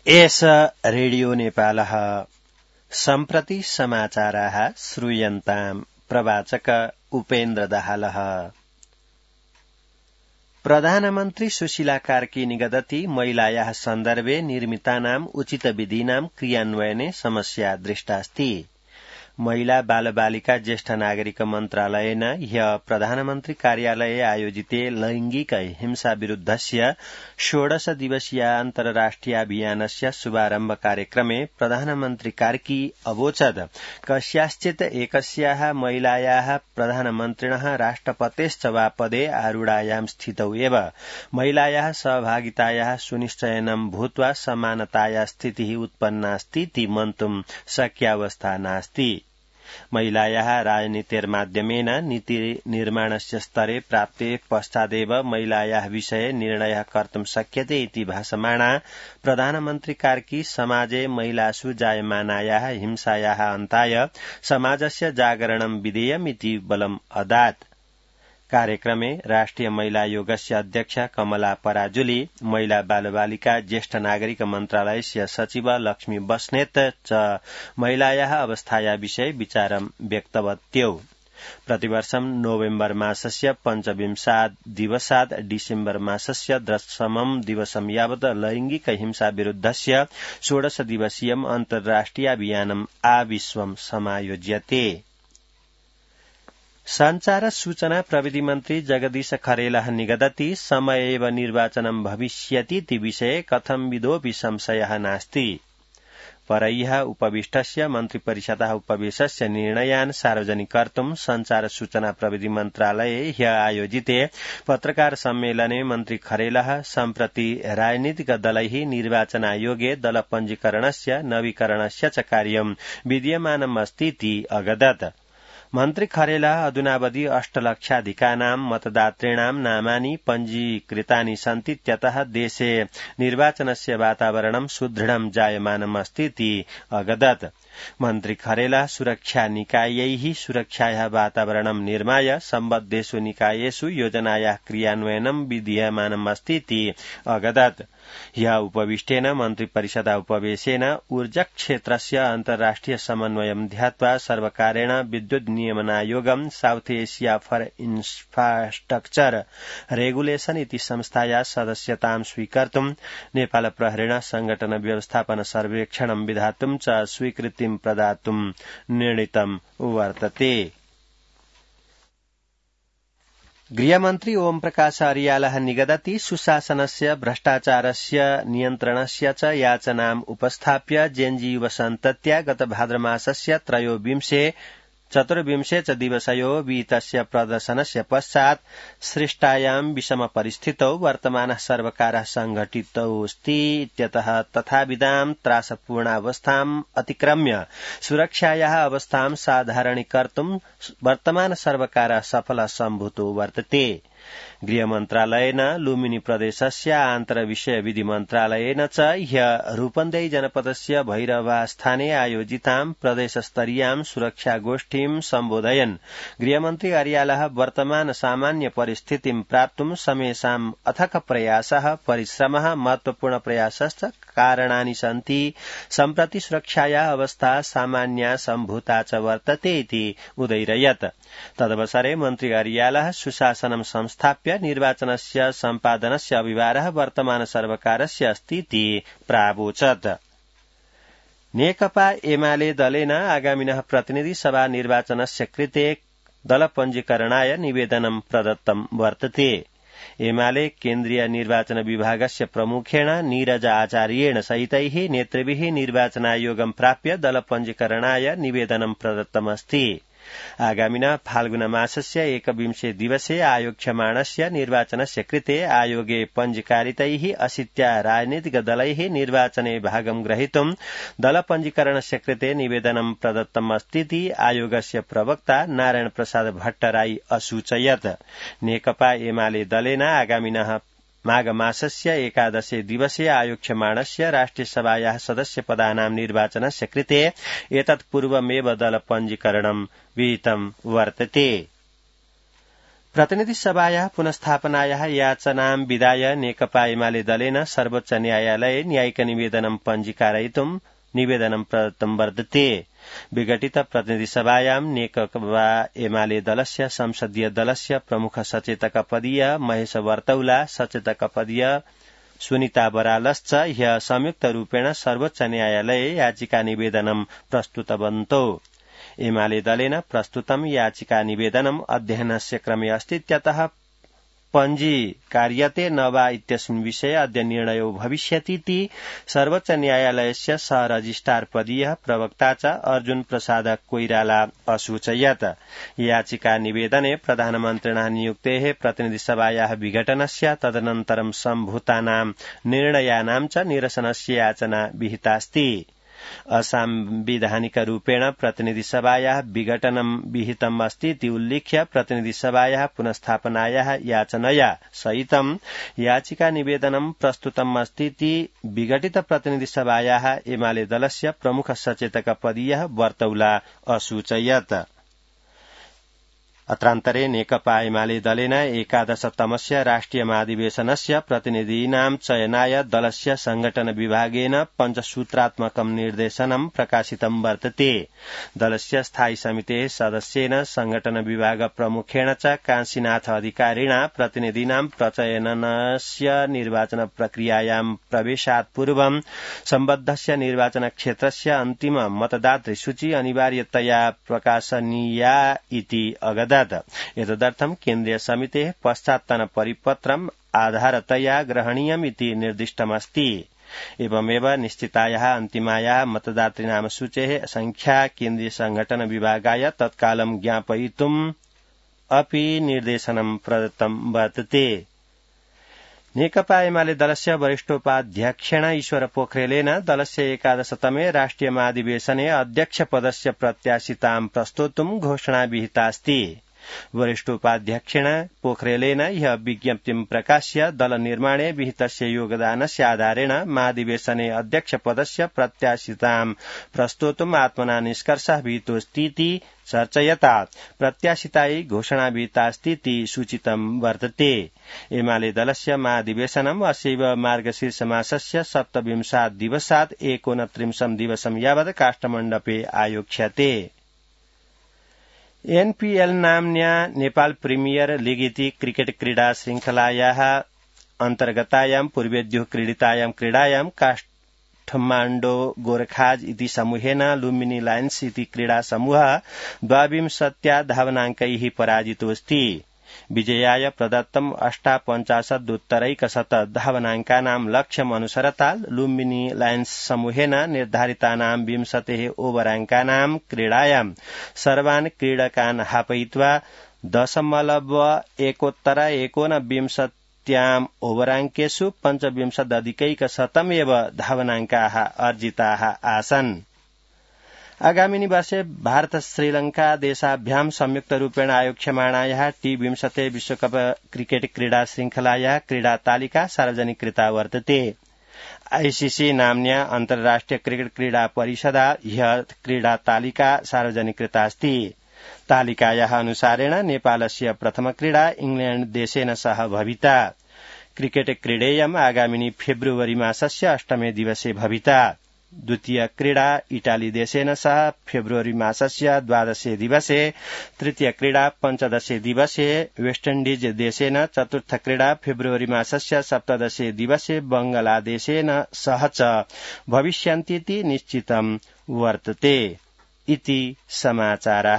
एष रेडियो नेपालः सम्प्रति समाचाराः श्रूयन्ताम् प्रवाचक उपेन्द्र दाहालः। प्रधानमन्त्री सुशीला कार्की निगदति महिलायाः सन्दर्भे निर्मितानाम् उचितविधीनां क्रियान्वयने समस्या दृष्टास्ति। महिला बालबालिका ज्येष्ठ नागरिक मन्त्रालयेन ह्यः प्रधानमन्त्री कार्यालये आयोजिते लैंगिक हिंसा विरुद्धस्य 16 दिवसीय अन्तर्राष्ट्रियाभियानस्य शुभारम्भ कार्यक्रमे प्रधानमन्त्री कार्की अवोचत् कस्याश्चित् एकस्याः महिलायाः प्रधानमन्त्रिणः राष्ट्रपतेश्च वा पदे आरूढायां स्थितौ एव महिलायाः सहभागितायाः सुनिश्चयनं भूत्वा समानताया स्थितिः उत्पन्नास्तीति मन्तुं शक्यावस्था नास्ति। महिलायाः राजनीतिर्माध्यमेन नीतिनिर्माणस्य स्तरे प्राप्ते पश्चादेव महिलायाः विषये निर्णयः कर्तुं शक्यते इति भासमाना प्रधानमन्त्री कार्की समाजे महिलासु जायमानायाः हिंसायाः अन्ताय समाजस्य जागरणं विधेयमिति बलम् अदात्। कार्यक्रमे राष्ट्रिय महिला आयोगस्य अध्यक्ष कमला पराजुली, महिला बालबालिका ज्येष्ठ नागरिक मन्त्रालयस्य सचिव लक्ष्मी बस्नेत च महिलायाः अवस्थाया विषये विचारं व्यक्तवत्यौ। प्रतिवर्षं नोवेम्बर मासस्य 25 दिवसात् डिसेम्बर मासस्य 10 दिवसं यावत् लैंगिक हिंसा विरुद्धस्य 16 दिवसीयम् अन्तर्राष्ट्रियाभियानम् आविश्वं समायोज्यते। संचार सूचना प्रविधि मन्त्री जगदीश खरेलः निगदति समय एव निर्वाचनं भविष्यतीति विषये कथंविदोऽपि संशयः नास्ति। परह्यः उपविष्टस्य मन्त्रिपरिषदः उपवेशस्य निर्णयान् सार्वजनिक कर्तुं संचार सूचना प्रविधि मन्त्रालये ह्यः आयोजिते पत्रकार सम्मेलने मन्त्री खरेलः सम्प्रति राजनीतिक दलैः निर्वाचन आयोगे दल पञ्जीकरणस्य नवीकरणस्य च कार्यं विद्यमानमस्तीति अगदत्। मन्त्री खरेला अधुनावधि 8 लक्षाधिकानां मतदातॄणां नामानि पञ्जीकृतानि सन्तीत्यतः देशे निर्वाचनस्य वातावरणं सुदृढं जायमानमस्तीति अगदत्। मन्त्री खरेला सुरक्षा निकायैः सुरक्षायाः वातावरणं निर्माय सम्बद्धेषु निकायेषु योजनायाः क्रियान्वयनं विधीयमानमस्तीति अगदत्। ह्यः उपविष्टेन मन्त्रिपरिषदा उपवेशेन ऊर्जाक्षेत्रस्य अन्तर्राष्ट्रिय समन्वयं ध्यात्वा सर्वकारेण विद्युत् नियमनायोगं South Asia for infrastructure regulation इति संस्थाया सदस्यतां स्वीकर्तुं नेपाल प्रहरेण संघटन व्यवस्थापन सर्वेक्षणं विधातुं च स्वीकृतिं प्रदातुं निर्णीतं वर्तते। गृहमन्त्री ओमप्रकाश अर्यालः निगदति सुशासनस्य भ्रष्टाचारस्य नियन्त्रणस्य च याचनाम् उपस्थाप्य जेएनजी युवसन्तत्या गत भाद्रमासस्य 24 च दिवसयो विहितस्य प्रदर्शनस्य पश्चात् सृष्टायां विषम परिस्थितौ वर्तमानः सर्वकारः संघटितोऽस्ति इत्यतः तथाविधां त्रासपूर्णावस्थाम् अतिक्रम्य सुरक्षायाः अवस्थां साधारणीकर्तुं वर्तमान सर्वकारः सफलः सम्भूतो वर्तते। गृहमन्त्रालयेन लुम्बिनी प्रदेशस्य आन्तरविषय विधि मन्त्रालयेन च ह्यः रूपन्देही जनपदस्य भैरवास्थाने आयोजितां प्रदेशस्तरीयां सुरक्षागोष्ठीं सम्बोधयन् गृहमन्त्री अर्यालः वर्तमान सामान्य परिस्थितिं प्राप्तुं समेषाम् अथक प्रयासः परिश्रमः महत्वपूर्ण प्रयासश्च कारणानि सन्ति। सम्प्रति सुरक्षायाः अवस्था सामान्या सम्भूता च वर्तते इति उदैरयत्। तदवसरे मन्त्री अर्यालः सुशासनं संस्थाप्य निर्वाचनस्य सम्पादनस्य अभिभारः वर्तमान सर्वकारस्य अस्ति इति प्रावोचत्। नेकपा एमाले दलेन आगामिनः प्रतिनिधि सभा निर्वाचनस्य कृते दल पञ्जीकरणाय निवेदनं प्रदत्तं वर्तते। एमाले केन्द्रीय निर्वाचन विभागस्य प्रमुखेण नीरज आचार्येण सहितैः नेतृभिः निर्वाचनायोगं प्राप्य दल पञ्जीकरणाय निवेदनं प्रदत्तमस्ति। आगामिनः फाल्गुन मासस्य 21 दिवसे आयोक्ष्यमाणस्य निर्वाचनस्य कृते आयोगे पञ्जीकारितैः 80 राजनीतिक दलैः निर्वाचने भागं ग्रहीतुं दल पञ्जीकरणस्य कृते निवेदनं प्रदत्तमस्तीति आयोगस्य प्रवक्ता नारायण प्रसाद भट्टराई असूचयत्। नेकपा एमाले दलेन आगामिनः माघ मासस्य 11 दिवसे आयोक्ष्यमाणस्य राष्ट्रियसभायाः सदस्यपदानां निर्वाचनस्य कृते एतत् पूर्वमेव दल पञ्जीकरणं विहितं वर्तते। प्रतिनिधि सभायाः पुनस्थापनायाः याचनां विधाय नेकपा एमाले दलेन सर्वोच्च न्यायालये न्यायिक निवेदनं पञ्जीकारयितुं निवेदनं प्रदत्तं वर्तते। विघटित प्रतिनिधि सभायां नेकपा एमाले दलस्य संसदीय दलस्य प्रमुख सचेतकपदीय महेश वर्तौला, सचेतकपदीय सुनीता बरालश्च ह्यः संयुक्तरूपेण सर्वोच्च न्यायालये याचिका निवेदनं प्रस्तुतवन्तौ। एमाले दलेन प्रस्तुतं याचिका निवेदनम् अध्ययनस्य क्रमे अस्तीत्यतः पञ्जीकार्यते न वा इत्यस्मिन् विषये अद्य निर्णयो भविष्यतीति सर्वोच्च न्यायालयस्य सह रजिस्ट्रार पदीयः प्रवक्ता च अर्जुन प्रसाद कोइराला असूचयत्। याचिका निवेदने प्रधानमन्त्रिणः नियुक्तेः प्रतिनिधिसभायाः विघटनस्य तदनन्तरं सम्भूतानां निर्णयानां च निरसनस्य याचना विहितास्ति। असंविधानिकरूपेण प्रतिनिधिसभायाः विघटनं विहितम् अस्ति इति उल्लिख्य प्रतिनिधिसभायाः पुनस्थापनायाः याचनया सहितं याचिका निवेदनं प्रस्तुतम् अस्ति इति विघटित प्रतिनिधिसभायाः एमाले दलस्य प्रमुख सचेतकपदीयः वर्तौला असूचयत्। अत्रान्तरे नेकपा एमाले दलेन 11तमस्य राष्ट्रिय महाधिवेशनस्य प्रतिनिधीनां चयनाय दलस्य संघटन विभागेन पञ्चसूत्रात्मकं निर्देशनं प्रकाशितं वर्तते। दलस्य स्थायी समितेः सदस्येन संघटन विभाग प्रमुखेण च काशीनाथ अधिकारिणा प्रतिनिधीनां प्रचयनस्य निर्वाचन प्रक्रियायां प्रवेशात् पूर्वं सम्बद्धस्य निर्वाचन क्षेत्रस्य अन्तिम मतदातृ सूची अनिवार्यतया प्रकाशनीया इति अगदत्। एतदर्थं केन्द्रीय समितेः पश्चात्तन परिपत्रम् आधारतया ग्रहणीयम् इति निर्दिष्टमस्ति। एवमेव निश्चितायाः अन्तिमायाः मतदातृनाम सूचेः संख्या केन्द्रीय संघटन विभागाय तत्कालं ज्ञापयितुम् अपि निर्देशनं प्रदत्तं वर्तते। नेकपा एमाले दलस्य वरिष्ठोपाध्यक्षेण ईश्वर पोखरेलेन दलस्य 11तमे राष्ट्रिय महाधिवेशने अध्यक्षपदस्य प्रत्याशितां प्रस्तोतुं घोषणा विहितास्ति। वरिष्ठोपाध्यक्षेण पोखरेलेन ह्यः विज्ञप्तिं प्रकाश्य दल निर्माणे विहितस्य योगदानस्य आधारेण महाधिवेशने अध्यक्षपदस्य प्रत्याशितां प्रस्तोतुम् आत्मना निष्कर्षः विहितोऽस्तीति चर्चयता प्रत्याशितायै घोषणा विहितास्तीति सूचितं वर्तते। एमाले दलस्य महाधिवेशनम् अस्यैव मार्गशीर्षमासस्य 27 दिवसात् 29 दिवसं यावत् काष्ठमण्डपे आयोक्ष्यते। एनपीएल नाम्न्या नेपाल प्रीमियर लीग इति क्रिकेट क्रीडा श्रृंखलायाः अन्तर्गतायां पूर्वेद्युः क्रीडितायां क्रीडायां काठमाण्डो गोरखाज इति समूहेन लुम्बिनी लायन्स इति क्रीडा समूहः 22 धावनाङ्कैः पराजितोऽस्ति। विजयाय प्रदत्तम् 58 धावनाङ्कानां लक्ष्यम् अनुसरता लुम्बिनी लायन्स समूहेन निर्धारितानां 20 ओभराङ्कानां क्रीडायां सर्वान् क्रीडकान् हापयित्वा 0.1 ओभराङ्केषु 25 एव धावनाङ्काः अर्जिताः आसन्। आगामिनि वर्षे भारत श्रीलंका देशाभ्यां संयुक्तरूपेण आयोक्ष्यमाणायाः T20 विश्वकप क्रिकेट क्रीडा श्रृंखलायाः क्रीडा तालिका सार्वजनिकृता वर्तते। आईसीसी नाम्न्या अन्तर्राष्ट्रिय क्रिकेट क्रीडा परिषदा ह्यः क्रीडा तालिका सार्वजनिकृतास्ति। तालिकायाः अनुसारेण नेपालस्य प्रथम क्रीडा इंग्लैण्ड देशेन सह भविता। क्रिकेट क्रीडेयम् आगामिनि फेब्रुवरी मासस्य 8 दिवसे भविता। द्वितीय क्रीडा इटाली देशेन सह फेब्रुवरी मासस्य 12 दिवसे, तृतीय क्रीडा 15 दिवसे वेस्ट इण्डीज देशेन, चतुर्थ क्रीडा फेब्रुवरी मासस्य 17 दिवसे बंगलादेशेन सह च भविष्यन्तीति निश्चितं वर्तते इति समाचारः।